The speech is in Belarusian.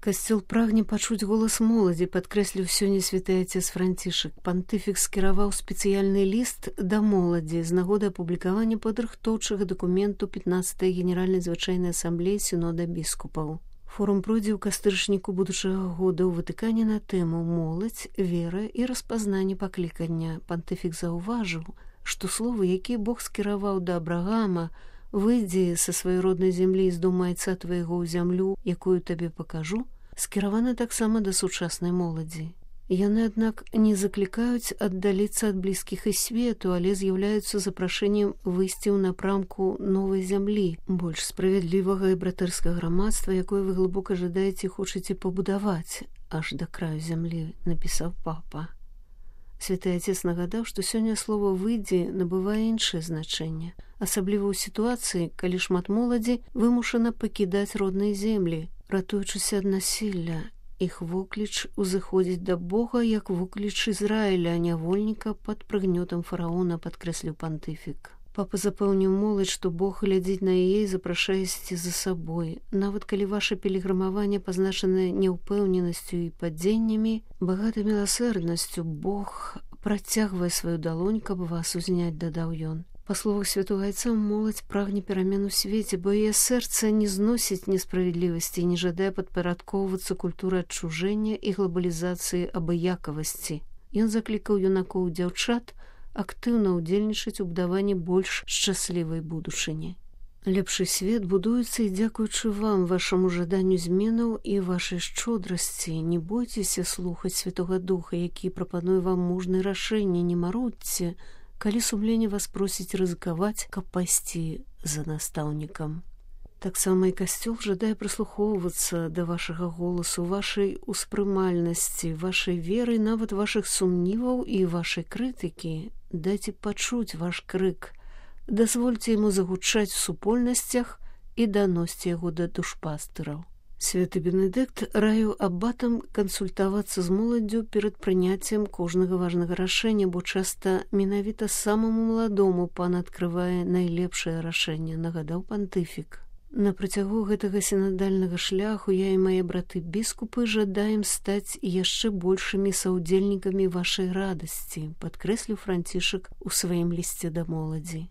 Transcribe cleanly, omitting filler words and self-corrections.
Касцёл прагне пачуць голас моладзі, падкрэсліў сёння святы отец Францішак. Пантыфік скіраваў спецыяльны ліст да моладзі з нагоды апублікавання падрыхтоўчага дакументу 15-й генеральнай звычайнай асамблеі сінода біскупаў. Форум пройдзе ў кастрычніку будучага года ў Ватыкане на тэму «Моладзь, вера і распазнанне паклікання». Пантыфік заўважыў, што словы, якія Бог скіраваў да Абрагама, «Выйдзі са сваёй роднай зямлі з дому айца твайго ў зямлю, якую табе пакажу», скіраваны таксама да сучаснай моладзі. Яны, аднак, не заклікаюць аддаліцца ад блізкіх і свету, але з'яўляюцца запрашэннем выйсці ў напрамку новай зямлі, больш справядлівага і братэрскага грамадства, якое вы глыбока жадаеце і хочаце пабудаваць аж да краю зямлі, напісаў папа. Святы отец нагадаў, што сёння слова «выйдзі» набывае іншае значэнне, асабліва ў сітуацыі, калі шмат моладзі вымушана пакідаць родныя землі, ратуючыся ад насілля. Іх вокліч узыходзіць да Бога, як вокліч Ізраіля, нявольніка пад прыгнётам фараона, падкрэсліў пантыфік. Папа запэўніў моладзь, што Бог глядзіць на яе і запрашае ісці за сабой. Нават калі ваша пілігрымаванне пазначанае няўпэўненасцю і падзеннямі, багатай міласэрнасцю, Бог працягвае сваю далонь, каб вас узняць, дадаў ён. Па словах святого айца, моладзь прагне перамен у свеце, бо яе сэрца не зносіць несправядлівасці і не жадае падпарадкоўвацца культуры адчужэння і глабалізацыі абыякавасці. Ён заклікаў юнакоў і дзяўчат актыўна ўдзельнічаць у будаванні больш шчаслівай будучыні. Лепшы свет будуецца і дзякуючы вам, вашаму жаданню зменаў і вашай шчодрасці. Не бойцеся слухаць Святога Духа, які прапануе вам мужныя рашэнні, не марудзьце, калі сумленне вас просіць рызыкаваць, каб пайсці за настаўнікам. Таксама і касцёл жадае прыслухоўвацца да вашага голасу, вашай успрымальнасці, вашай веры, нават вашых сумніваў і вашай крытыкі. Дайце пачуць ваш крык, дазвольце яму загучаць у супольнасцях і даносьце яго да душпастыраў. Святы Бенедыкт раіў абатам кансультавацца з моладдзю перад прыняццем кожнага важнага рашэння, бо часта менавіта самаму маладому пан адкрывае найлепшае рашэнне, нагадаў пантыфік. На працягу гэтага сінадальнага шляху я і мае браты біскупы жадаем стаць яшчэ большымі саўдзельнікамі вашай радасці, падкрэсліў Францішак у сваім лісце да моладзі.